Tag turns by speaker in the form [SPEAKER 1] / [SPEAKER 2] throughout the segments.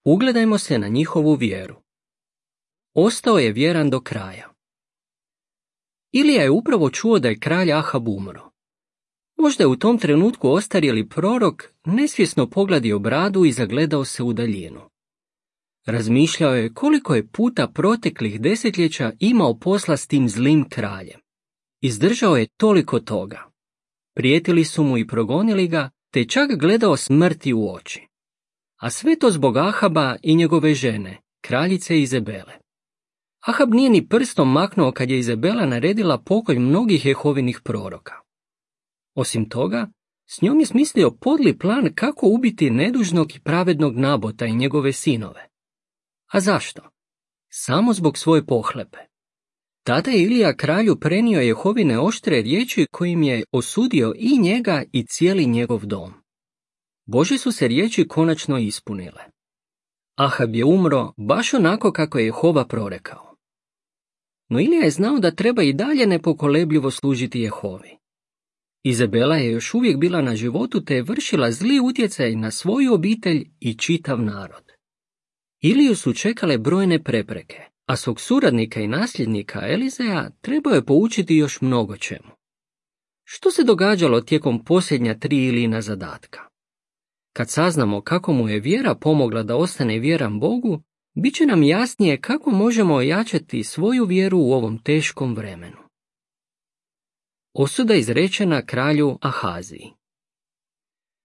[SPEAKER 1] Ugledajmo se na njihovu vjeru. Ostao je vjeran do kraja. Ilija je upravo čuo da je kralj Ahab umro. Možda je u tom trenutku ostarjeli prorok nesvjesno pogledio bradu i zagledao se u daljinu. Razmišljao je koliko je puta proteklih desetljeća imao posla s tim zlim kraljem. Izdržao je toliko toga. Prijetili su mu i progonili ga, te čak gledao smrti u oči. A sve to zbog Ahaba i njegove žene, kraljice Izabele. Ahab nije ni prstom maknuo kad je Izabela naredila pokolj mnogih Jehovinih proroka. Osim toga, s njom je smislio podli plan kako ubiti nedužnog i pravednog Nabota i njegove sinove. A zašto? Samo zbog svoje pohlepe. Tada je Ilija kralju prenio Jehovine oštre riječi kojim je osudio i njega i cijeli njegov dom. Božje su se riječi konačno ispunile. Ahab je umro baš onako kako je Jehova prorekao. No Ilija je znao da treba i dalje nepokolebljivo služiti Jehovi. Izabela je još uvijek bila na životu te je vršila zli utjecaj na svoju obitelj i čitav narod. Iliju su čekale brojne prepreke, a svog suradnika i nasljednika Elizeja trebao je poučiti još mnogo čemu. Što se događalo tijekom posljednja 3 Ilijina zadatka? Kad saznamo kako mu je vjera pomogla da ostane vjeran Bogu, bit će nam jasnije kako možemo ojačati svoju vjeru u ovom teškom vremenu. Osuda izrečena kralju Ahaziji.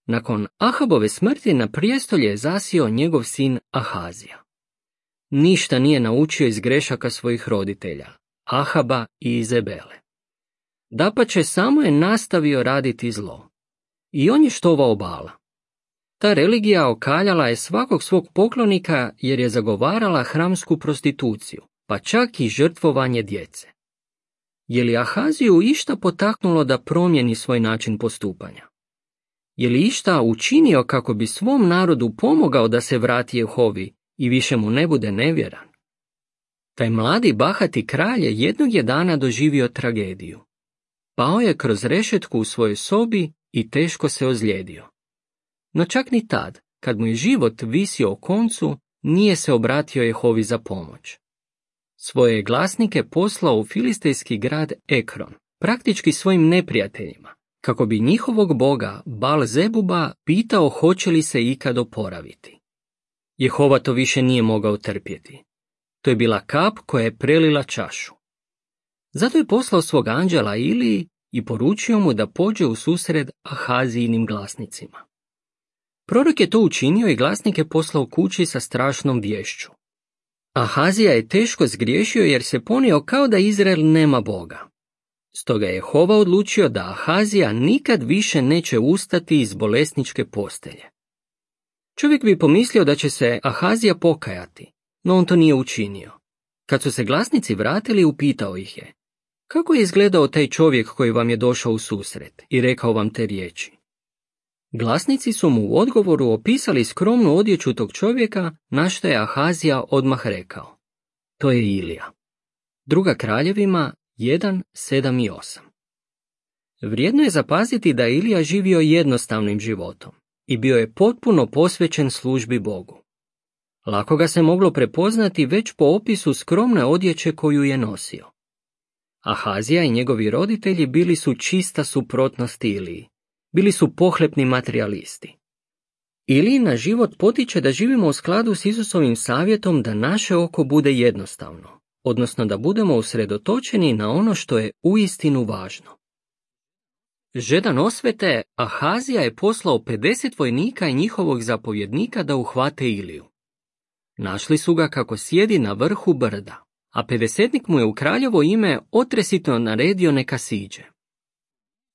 [SPEAKER 1] Nakon Ahabove smrti na prijestolje je zasjeo njegov sin Ahazija. Ništa nije naučio iz grešaka svojih roditelja, Ahaba i Izabele. Dapače, samo je nastavio raditi zlo. I on je štovao Bala. Ta religija okaljala je svakog svog poklonika jer je zagovarala hramsku prostituciju, pa čak i žrtvovanje djece. Je li Ahaziju išta potaknulo da promijeni svoj način postupanja? Je li išta učinio kako bi svom narodu pomogao da se vrati Jehovi i više mu ne bude nevjeran? Taj mladi bahati kralj je jednog je dana doživio tragediju. Pao je kroz rešetku u svojoj sobi i teško se ozlijedio. No čak ni tad, kad mu je život visio o koncu, nije se obratio Jehovi za pomoć. Svoje je glasnike poslao u filistejski grad Ekron, praktički svojim neprijateljima, kako bi njihovog boga Baal-zebuba pitao hoće li se ikad oporaviti. Jehova to više nije mogao trpjeti. To je bila kap koja je prelila čašu. Zato je poslao svog anđela Iliji i poručio mu da pođe u susret Ahazijinim glasnicima. Prorok je to učinio i glasnike poslao kući sa strašnom viješću. Ahazija je teško zgriješio jer se ponio kao da Izrael nema Boga. Stoga je Jehova odlučio da Ahazija nikad više neće ustati iz bolesničke postelje. Čovjek bi pomislio da će se Ahazija pokajati, no on to nije učinio. Kad su se glasnici vratili, upitao ih je: kako je izgledao taj čovjek koji vam je došao u susret i rekao vam te riječi? Glasnici su mu u odgovoru opisali skromnu odjeću tog čovjeka, na što je Ahazija odmah rekao: to je Ilija. 2. Kraljevima 1, 7 i 8. Vrijedno je zapaziti da je Ilija živio jednostavnim životom i bio je potpuno posvećen službi Bogu. Lako ga se moglo prepoznati već po opisu skromne odjeće koju je nosio. Ahazija i njegovi roditelji bili su čista suprotnost Iliji. Bili su pohlepni materijalisti. Ilijin na život potiče da živimo u skladu s Isusovim savjetom da naše oko bude jednostavno, odnosno da budemo usredotočeni na ono što je uistinu važno. Žedan osvete, Ahazija je poslao 50 vojnika i njihovog zapovjednika da uhvate Iliju. Našli su ga kako sjedi na vrhu brda, a 50-nik mu je u kraljevo ime otresito naredio neka siđe.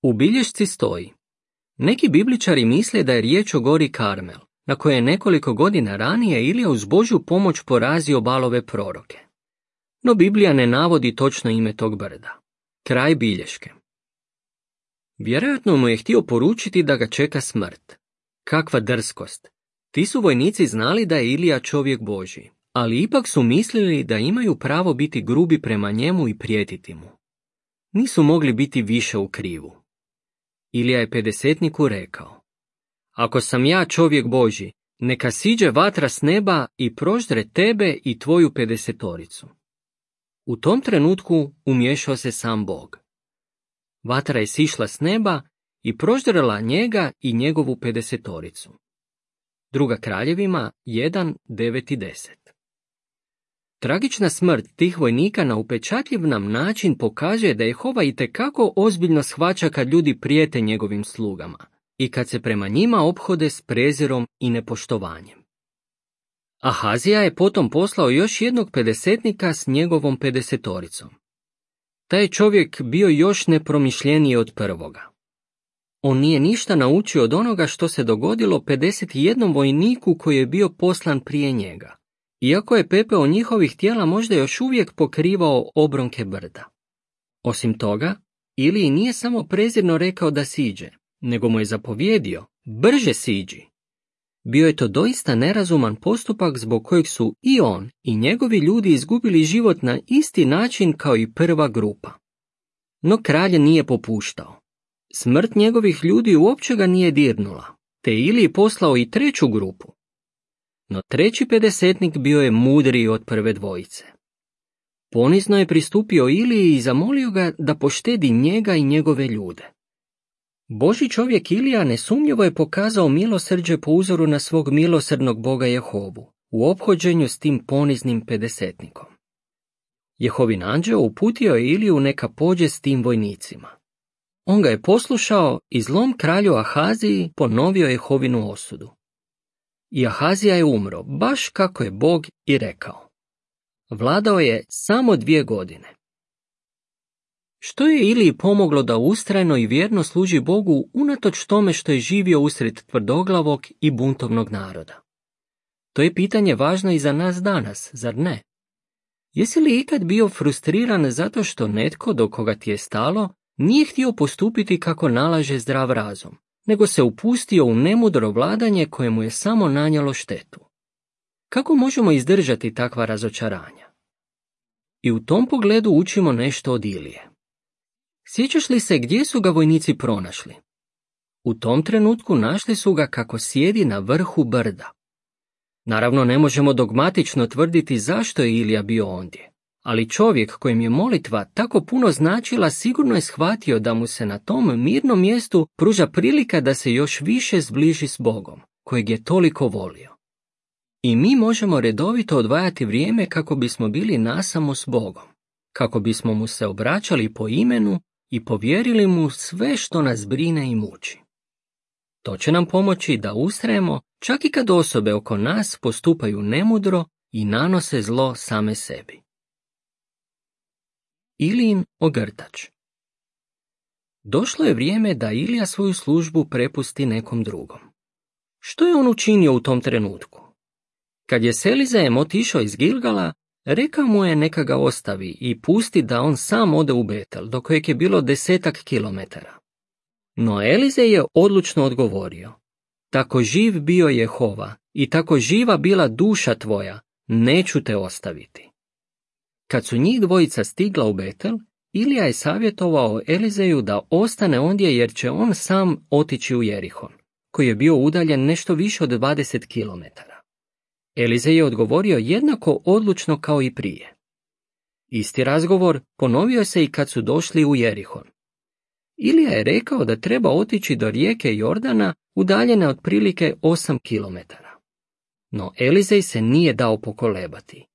[SPEAKER 1] U bilješci stoji: neki bibličari misle da je riječ o gori Karmel, na kojoj je nekoliko godina ranije Ilija uz Božju pomoć porazio Balove proroke. No Biblija ne navodi točno ime tog brda. Kraj bilješke. Vjerojatno mu je htio poručiti da ga čeka smrt. Kakva drskost! Ti su vojnici znali da je Ilija čovjek Božji, ali ipak su mislili da imaju pravo biti grubi prema njemu i prijetiti mu. Nisu mogli biti više u krivu. Ilija je 50-niku rekao: ako sam ja čovjek Božji, neka siđe vatra s neba i proždre tebe i tvoju 50. U tom trenutku umiješao se sam Bog. Vatra je sišla s neba i proždrala njega i njegovu 50. Druga Kraljevima 1, 9 i 10. Tragična smrt tih vojnika na upečatljiv nam način pokazuje da Jehova itekako ozbiljno shvaća kad ljudi prijete njegovim slugama i kad se prema njima ophode s prezirom i nepoštovanjem. Ahazija je potom poslao još jednog 50 s njegovom 50. Taj je čovjek bio još nepromišljeniji od prvoga. On nije ništa naučio od onoga što se dogodilo 51 vojniku koji je bio poslan prije njega, iako je pepeo njihovih tijela možda još uvijek pokrivao obronke brda. Osim toga, Iliji nije samo prezirno rekao da siđe, nego mu je zapovjedio, brže siđi. Bio je to doista nerazuman postupak zbog kojeg su i on i njegovi ljudi izgubili život na isti način kao i prva grupa. No kralj nije popuštao. Smrt njegovih ljudi uopće ga nije dirnula, te Iliji poslao i treću grupu. No treći 50 bio je mudriji od prve dvojice. Ponizno je pristupio Iliji i zamolio ga da poštedi njega i njegove ljude. Božji čovjek Ilija nesumnjivo je pokazao milosrđe po uzoru na svog milosrdnog Boga Jehovu u ophođenju s tim poniznim 50. Jehovin anđeo uputio je Iliju neka pođe s tim vojnicima. On ga je poslušao i zlom kralju Ahaziji ponovio Jehovinu osudu. I Ahazija je umro, baš kako je Bog i rekao. Vladao je samo 2 godine. Što je Iliji pomoglo da ustrajno i vjerno služi Bogu unatoč tome što je živio usred tvrdoglavog i buntovnog naroda? To je pitanje važno i za nas danas, zar ne? Jesi li ikad bio frustriran zato što netko do koga ti je stalo nije htio postupiti kako nalaže zdrav razum, nego se upustio u nemudro vladanje koje mu je samo nanijelo štetu? Kako možemo izdržati takva razočaranja? I u tom pogledu učimo nešto od Ilije. Sjećaš li se gdje su ga vojnici pronašli? U tom trenutku našli su ga kako sjedi na vrhu brda. Naravno, ne možemo dogmatično tvrditi zašto je Ilija bio ondje, ali čovjek kojem je molitva tako puno značila sigurno je shvatio da mu se na tom mirnom mjestu pruža prilika da se još više zbliži s Bogom, kojeg je toliko volio. I mi možemo redovito odvajati vrijeme kako bismo bili nasamo s Bogom, kako bismo mu se obraćali po imenu i povjerili mu sve što nas brine i muči. To će nam pomoći da ustrajemo čak i kad osobe oko nas postupaju nemudro i nanose zlo same sebi. Ilijin ogrtač. Došlo je vrijeme da Ilija svoju službu prepusti nekom drugom. Što je on učinio u tom trenutku? Kad je s Elizejem otišao iz Gilgala, rekao mu je neka ga ostavi i pusti da on sam ode u Betel, do kojeg je bilo 10 kilometara. No Elizej je odlučno odgovorio, tako živ bio Jehova i tako živa bila duša tvoja, neću te ostaviti. Kad su njih dvojica stigla u Betel, Ilija je savjetovao Elizeju da ostane ondje jer će on sam otići u Jerihon, koji je bio udaljen nešto više od 20 kilometara. Elizej je odgovorio jednako odlučno kao i prije. Isti razgovor ponovio se i kad su došli u Jerihon. Ilija je rekao da treba otići do rijeke Jordana udaljene otprilike 8 kilometara. No Elizej se nije dao pokolebati.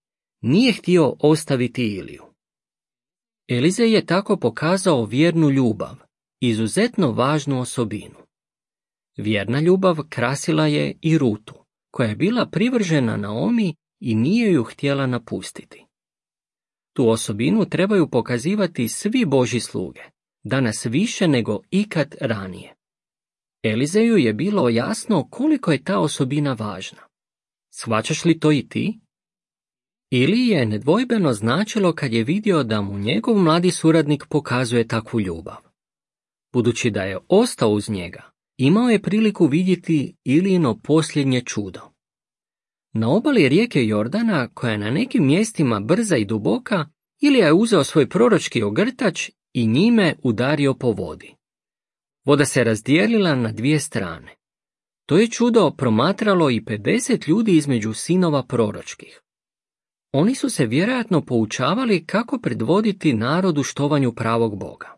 [SPEAKER 1] Nije htio ostaviti Iliju. Elizej je tako pokazao vjernu ljubav, izuzetno važnu osobinu. Vjerna ljubav krasila je i Rutu, koja je bila privržena Naomi i nije ju htjela napustiti. Tu osobinu trebaju pokazivati svi Božji sluge, danas više nego ikad ranije. Elizeju je bilo jasno koliko je ta osobina važna. Shvaćaš li to i ti? Ili je nedvojbeno značilo kad je vidio da mu njegov mladi suradnik pokazuje takvu ljubav. Budući da je ostao uz njega, imao je priliku vidjeti Ilijino posljednje čudo. Na obali rijeke Jordana, koja je na nekim mjestima brza i duboka, Ilija je uzeo svoj proročki ogrtač i njime udario po vodi. Voda se razdijelila na 2 strane. To je čudo promatralo i 50 ljudi između sinova proročkih. Oni su se vjerojatno poučavali kako predvoditi narodu štovanju pravog Boga.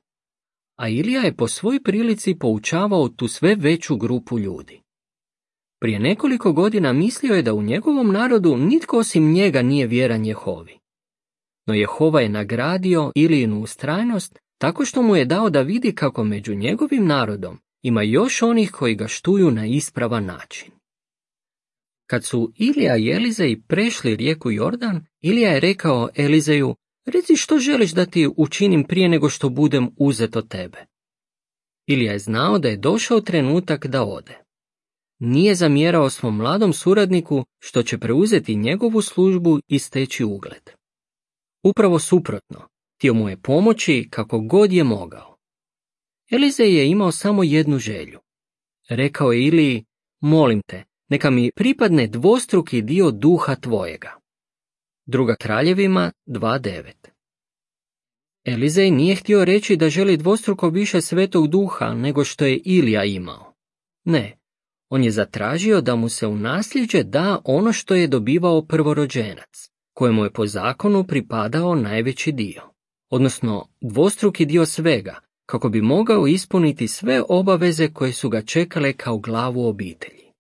[SPEAKER 1] A Ilija je po svoj prilici poučavao tu sve veću grupu ljudi. Prije nekoliko godina mislio je da u njegovom narodu nitko osim njega nije vjeran Jehovi. No Jehova je nagradio Ilijinu ustrajnost tako što mu je dao da vidi kako među njegovim narodom ima još onih koji ga štuju na ispravan način. Kad su Ilija i Elizej prešli rijeku Jordan, Ilija je rekao Elizeju: reci što želiš da ti učinim prije nego što budem uzet od tebe. Ilija je znao da je došao trenutak da ode. Nije zamjerao svom mladom suradniku što će preuzeti njegovu službu i steći ugled. Upravo suprotno, htio mu je pomoći kako god je mogao. Elizej je imao samo jednu želju. Rekao je Iliji: molim te, neka mi pripadne dvostruki dio duha tvojega. 2. Kraljevima 2.9. Elizej nije htio reći da želi dvostruko više Svetog Duha nego što je Ilija imao. Ne, on je zatražio da mu se u nasljeđe da ono što je dobivao prvorođenac, kojemu je po zakonu pripadao najveći dio, odnosno dvostruki dio svega, kako bi mogao ispuniti sve obaveze koje su ga čekale kao glavu obitelji.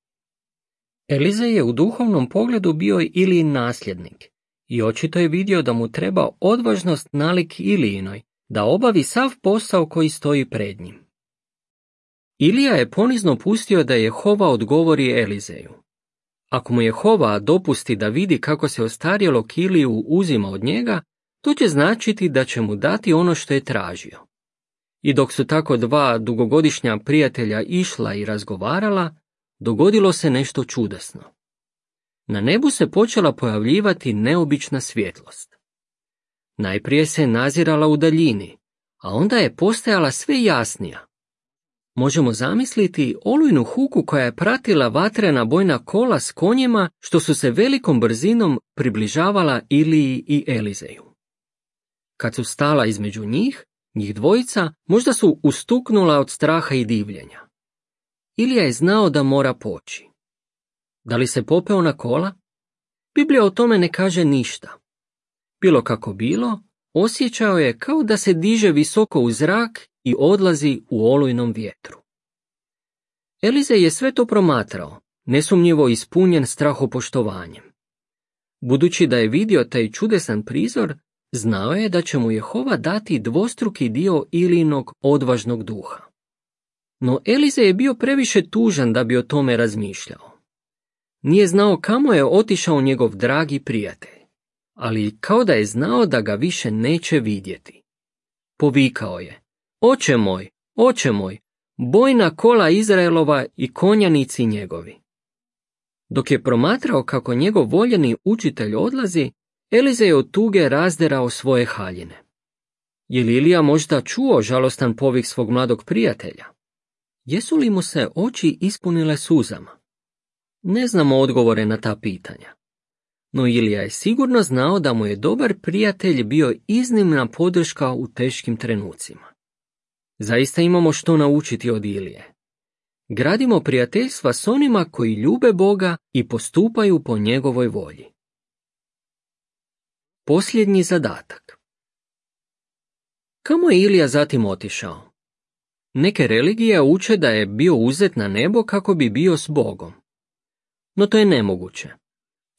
[SPEAKER 1] Elizej je u duhovnom pogledu bio Ilijin nasljednik i očito je vidio da mu treba odvažnost nalik Ilijinoj da obavi sav posao koji stoji pred njim. Ilija je ponizno pustio da Jehova odgovori Elizeju. Ako mu Jehova dopusti da vidi kako se ostarjelog Iliju uzima od njega, to će značiti da će mu dati ono što je tražio. I dok su tako dva dugogodišnja prijatelja išla i razgovarala, dogodilo se nešto čudesno. Na nebu se počela pojavljivati neobična svjetlost. Najprije se nazirala u daljini, a onda je postajala sve jasnija. Možemo zamisliti olujnu huku koja je pratila vatrena bojna kola s konjima što su se velikom brzinom približavala Iliji i Elizeju. Kad su stala između njih dvojica možda su ustuknula od straha i divljenja. Ilija je znao da mora poći. Da li se popeo na kola? Biblija o tome ne kaže ništa. Bilo kako bilo, osjećao je kao da se diže visoko u zrak i odlazi u olujnom vjetru. Elizej je sve to promatrao, nesumnjivo ispunjen strahopoštovanjem. Budući da je vidio taj čudesan prizor, znao je da će mu Jehova dati dvostruki dio Ilijinog odvažnog duha. No Elizej je bio previše tužan da bi o tome razmišljao. Nije znao kamo je otišao njegov dragi prijatelj, ali kao da je znao da ga više neće vidjeti. Povikao je: oče moj, bojna kola Izraelova i konjanici njegovi. Dok je promatrao kako njegov voljeni učitelj odlazi, Elizej je od tuge razderao svoje haljine. Je li Ilija možda čuo žalostan povik svog mladog prijatelja? Jesu li mu se oči ispunile suzama? Ne znamo odgovore na ta pitanja. No Ilija je sigurno znao da mu je dobar prijatelj bio iznimna podrška u teškim trenucima. Zaista imamo što naučiti od Ilije. Gradimo prijateljstva s onima koji ljube Boga i postupaju po njegovoj volji. Posljednji zadatak. Kamo je Ilija zatim otišao? Neke religije uče da je bio uzet na nebo kako bi bio s Bogom. No to je nemoguće.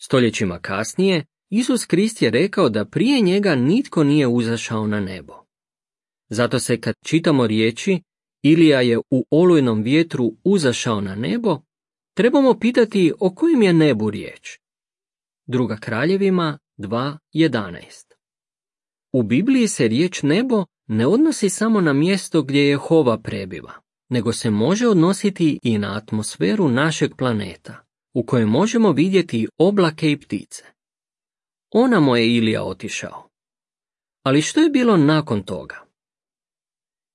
[SPEAKER 1] Stoljećima kasnije, Isus Krist je rekao da prije njega nitko nije uzašao na nebo. Zato se kad čitamo riječi Ilija je u olujnom vjetru uzašao na nebo, trebamo pitati o kojem je nebu riječ. 2. Kraljevima 2.11. U Bibliji se riječ nebo ne odnosi samo na mjesto gdje Jehova prebiva, nego se može odnositi i na atmosferu našeg planeta, u kojoj možemo vidjeti oblake i ptice. Onamo je Ilija otišao. Ali što je bilo nakon toga?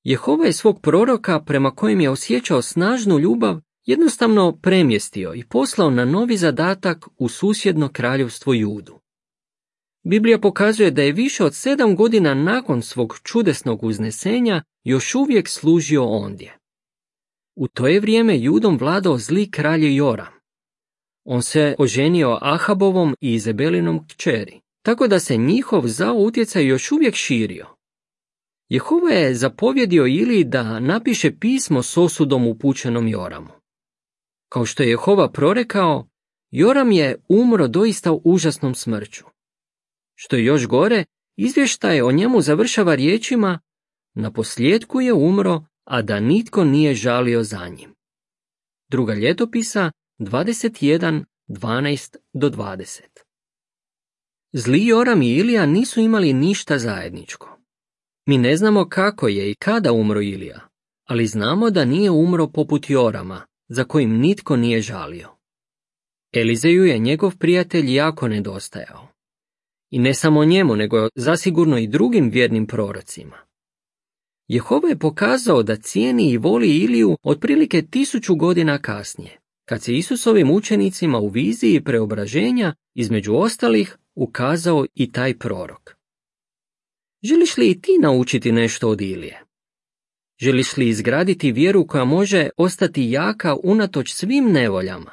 [SPEAKER 1] Jehova je svog proroka, prema kojem je osjećao snažnu ljubav, jednostavno premjestio i poslao na novi zadatak u susjedno kraljevstvo Judu. Biblija pokazuje da je više od 7 godina nakon svog čudesnog uznesenja još uvijek služio ondje. U to je vrijeme Judom vladao zli kralj Joram. On se oženio Ahabovom i Izabelinom kćeri, tako da se njihov zao utjecaj još uvijek širio. Jehova je zapovjedio Iliji da napiše pismo s osudom upućenom Joramu. Kao što je Jehova prorekao, Joram je umro doista užasnom smrću. Što je još gore, izvještaj o njemu završava riječima: naposljetku je umro, a da nitko nije žalio za njim. Druga ljetopisa 21:12-20. Zli Joram i Ilija nisu imali ništa zajedničko. Mi ne znamo kako je i kada umro Ilija, ali znamo da nije umro poput Jorama, za kojim nitko nije žalio. Elizeju je njegov prijatelj jako nedostajao. I ne samo njemu, nego zasigurno i drugim vjernim prorocima. Jehova je pokazao da cijeni i voli Iliju otprilike 1000 godina kasnije, kad se Isusovim učenicima u viziji preobraženja, između ostalih, ukazao i taj prorok. Želiš li i ti naučiti nešto od Ilije? Želiš li izgraditi vjeru koja može ostati jaka unatoč svim nevoljama?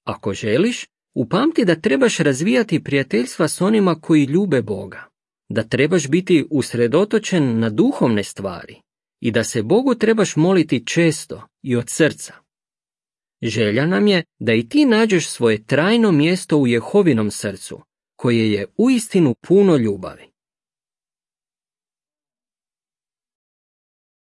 [SPEAKER 1] Ako želiš, upamti da trebaš razvijati prijateljstva s onima koji ljube Boga, da trebaš biti usredotočen na duhovne stvari i da se Bogu trebaš moliti često i od srca. Želja nam je da i ti nađeš svoje trajno mjesto u Jehovinom srcu, koje je uistinu puno ljubavi.